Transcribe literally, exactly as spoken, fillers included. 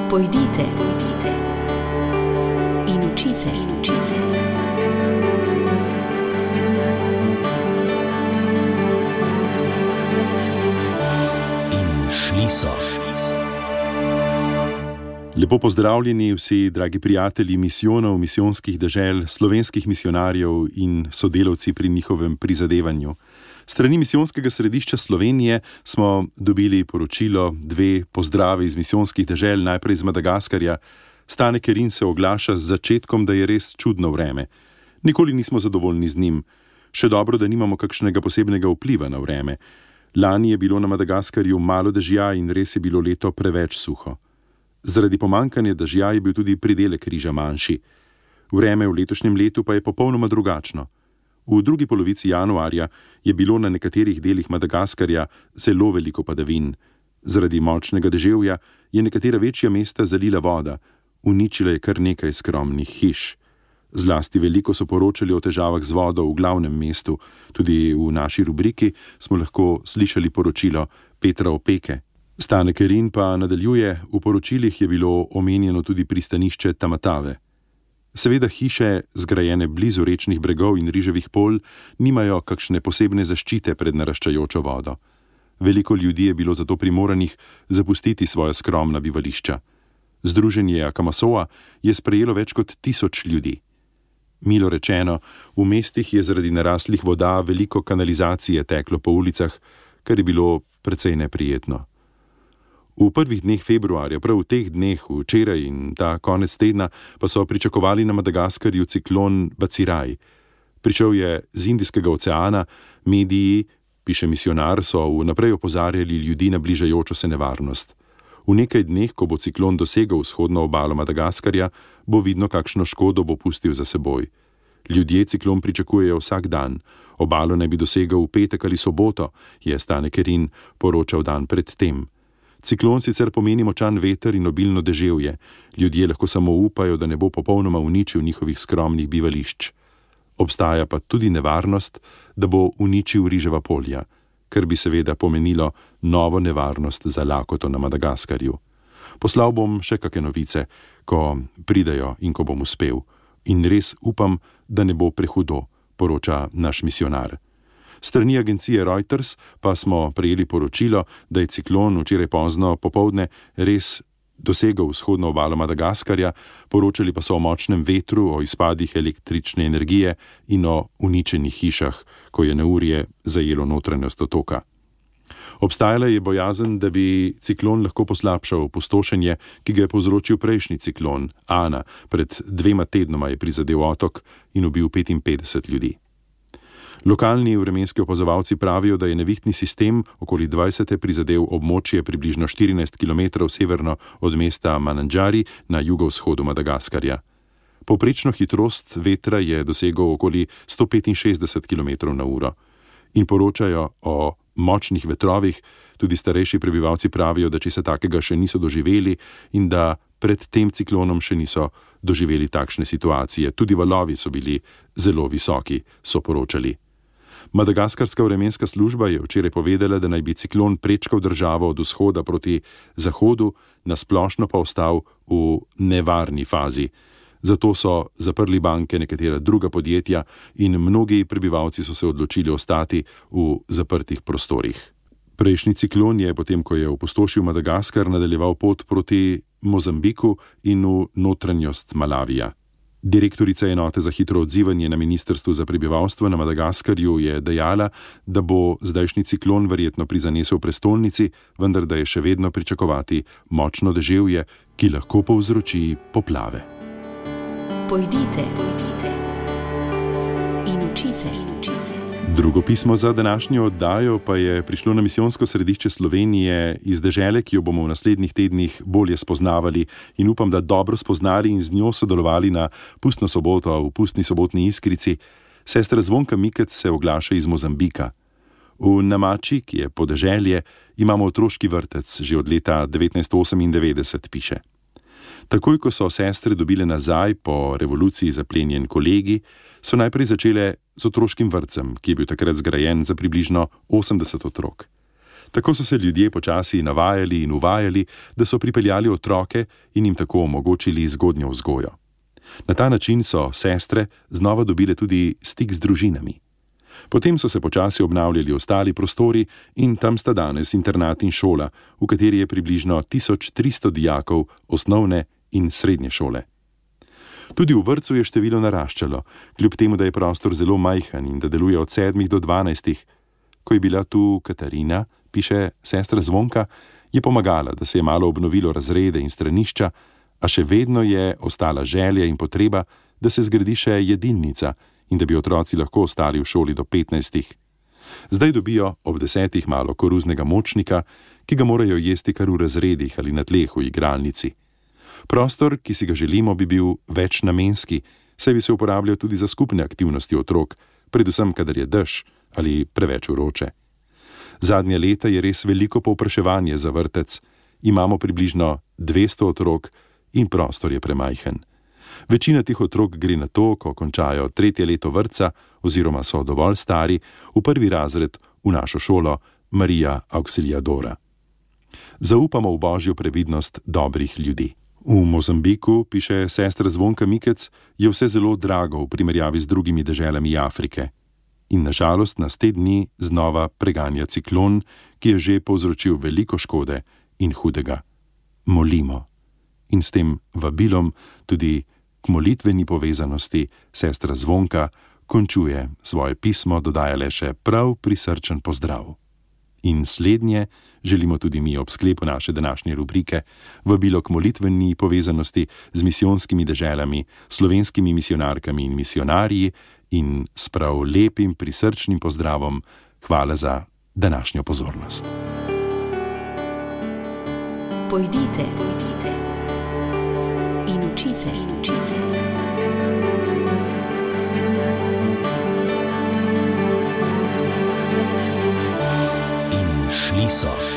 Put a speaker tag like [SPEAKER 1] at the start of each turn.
[SPEAKER 1] Pojdite, pojdite in učite, in učite.
[SPEAKER 2] In šli so.
[SPEAKER 3] Lepo pozdravljeni vsi, dragi prijatelji misijonov, misijonskih dežel, slovenskih misijonarjev in sodelavci pri njihovem prizadevanju. Strani misijonskega središča Slovenije smo dobili poročilo, dve pozdravi iz misijonskih dežel, najprej iz Madagaskarja. Stane Kerin se oglaša z začetkom, da je res čudno vreme. Nikoli nismo zadovoljni z njim. Še dobro, da nimamo kakšnega posebnega vpliva na vreme. Lani je bilo na Madagaskarju malo dežja in res je bilo leto preveč suho. Zaradi pomanjkanja dežja je bil tudi pridelek riža manjši. Vreme v letošnjem letu pa je popolnoma drugačno. V drugi polovici januarja je bilo na nekaterih delih Madagaskarja zelo veliko padavin. Zaradi močnega deževja je nekatera večja mesta zalila voda, uničila je kar nekaj skromnih hiš. Zlasti veliko so poročali o težavah z vodo v glavnem mestu. Tudi v naši rubriki smo lahko slišali poročilo Petra Opeke. Stane Kerin pa nadaljuje, v poročilih je bilo omenjeno tudi pristanišče Tamatave. Seveda hiše, zgrajene blizu rečnih bregov in riževih polj, nimajo kakšne posebne zaščite pred naraščajočo vodo. Veliko ljudi je bilo zato primoranih zapustiti svoja skromna bivališča. Združenje Akamasova je sprejelo več kot tisoč ljudi. Milo rečeno, v mestih je zaradi naraslih voda veliko kanalizacije teklo po ulicah, kar je bilo precej neprijetno. V prvih dneh februarja, prav v teh dneh, včeraj in ta konec tedna, pa so pričakovali na Madagaskarju ciklon Baciraj. Prišel je z Indijskega oceana, mediji, piše misijonar, so vnaprej opozarjali ljudi na bližajočo se nevarnost. V nekaj dneh, ko bo ciklon dosegel vzhodno obalo Madagaskarja, bo vidno, kakšno škodo bo pustil za seboj. Ljudje ciklon pričakujejo vsak dan. Obalo naj bi dosegel v petek ali soboto, je Stane Kerin poročal dan pred tem. Ciklon sicer pomeni močan veter in obilno deževje. Ljudje lahko samo upajo, da ne bo popolnoma uničil njihovih skromnih bivališč. Obstaja pa tudi nevarnost, da bo uničil riževa polja, kar bi seveda pomenilo novo nevarnost za lakoto na Madagaskarju. Poslal bom še kakšne novice, ko pridejo in ko bom uspel. In res upam, da ne bo prehudo, poroča naš misijonar. Strani agencije Reuters pa smo prejeli poročilo, da je ciklon včeraj pozno popoldne res dosegel vzhodno obalo Madagaskarja, poročali pa so o močnem vetru, o izpadih električne energije in o uničenih hišah, ko je neurje zajelo notranjost otoka. Obstajala je bojazen, da bi ciklon lahko poslabšal opustošenje, ki ga je povzročil prejšnji ciklon, Ana, pred dvema tednoma je prizadel otok in ubil petinpetdeset ljudi. Lokalni vremenski opazovalci pravijo, da je nevihtni sistem okoli dvajsete prizadel območje približno štirinajst kilometrov severno od mesta Manandžari na jugovzhodu Madagaskarja. Povprečno hitrost vetra je dosegel okoli sto petinšestdeset kilometrov na uro. In poročajo o močnih vetrovih, tudi starejši prebivalci pravijo, da česa takega še niso doživeli in da pred tem ciklonom še niso doživeli takšne situacije. Tudi valovi so bili zelo visoki, so poročali. Madagaskarska vremenska služba je včeraj povedala, da naj bi ciklon prečkal državo od vzhoda proti zahodu, nasplošno pa ostal v nevarni fazi. Zato so zaprli banke, nekatera druga podjetja in mnogi prebivalci so se odločili ostati v zaprtih prostorih. Prejšnji ciklon je, potem ko je opustošil Madagaskar, nadaljeval pot proti Mozambiku in v notranjost Malavija. Direktorica enote za hitro odzivanje na Ministrstvu za prebivalstvo na Madagaskarju je dejala, da bo zdajšnji ciklon verjetno prizanesel prestolnici, vendar da je še vedno pričakovati močno deževje, ki lahko povzroči poplave.
[SPEAKER 1] Pojdite, pojdite in učite, in učite.
[SPEAKER 3] Drugo pismo za današnjo oddajo pa je prišlo na misijonsko središče Slovenije iz dežele, ki jo bomo v naslednjih tednih bolje spoznavali in upam, da dobro spoznali in z njo sodelovali na pustno soboto v pustni sobotni Iskrici. Sestra Zvonka Mikec se oglaša iz Mozambika. V Namači, ki je podeželje, imamo otroški vrtec, že od leta devetnajststo osemindevetdeset, piše. Takoj, ko so sestre dobile nazaj po revoluciji zaplenjen kolegi, so najprej začele z otroškim vrtcem, ki je bil takrat zgrajen za približno osemdeset otrok. Tako so se ljudje počasi navajali in uvajali, da so pripeljali otroke in jim tako omogočili zgodnjo vzgojo. Na ta način so sestre znova dobile tudi stik z družinami. Potem so se počasi obnavljali ostali prostori in tam sta danes internat in šola, v kateri je približno tisoč tristo dijakov osnovne in srednje šole. Tudi v vrtcu je število naraščalo, kljub temu, da je prostor zelo majhen in da deluje od sedmih do dvanajstih. Ko je bila tu Katarina, piše sestra Zvonka, je pomagala, da se je malo obnovilo razrede in stranišča, a še vedno je ostala želja in potreba, da se zgradi še jedilnica in da bi otroci lahko ostali v šoli do petnajstih. Zdaj dobijo ob desetih malo koruznega močnika, ki ga morajo jesti kar v razredih ali na tleh v igralnici. Prostor, ki si ga želimo, bi bil večnamenski, saj bi se uporabljal tudi za skupne aktivnosti otrok, predvsem kadar je dež ali preveč vroče. Zadnje leta je res veliko povpraševanje za vrtec. Imamo približno dvesto otrok in prostor je premajhen. Večina teh otrok gre na to, ko končajo tretje leto vrtca oziroma so dovolj stari, v prvi razred v našo šolo Marija Auxiliadora. Zaupamo v božjo previdnost dobrih ljudi. V Mozambiku, piše sestra Zvonka Mikec, je vse zelo drago v primerjavi z drugimi deželami Afrike. In nažalost nas te dni znova preganja ciklon, ki je že povzročil veliko škode in hudega. Molimo. In s tem vabilom tudi k molitveni povezanosti sestra Zvonka končuje svoje pismo, dodaja le še prav prisrčen pozdrav. In slednje želimo tudi mi ob sklepu naše današnje rubrike vabilo k molitveni povezanosti z misijonskimi deželami, slovenskimi misionarkami in misionarji in s prav lepim prisrčnim pozdravom hvala za današnjo pozornost.
[SPEAKER 1] Pojdite, pojdite in učite, in učite.
[SPEAKER 2] In šli so.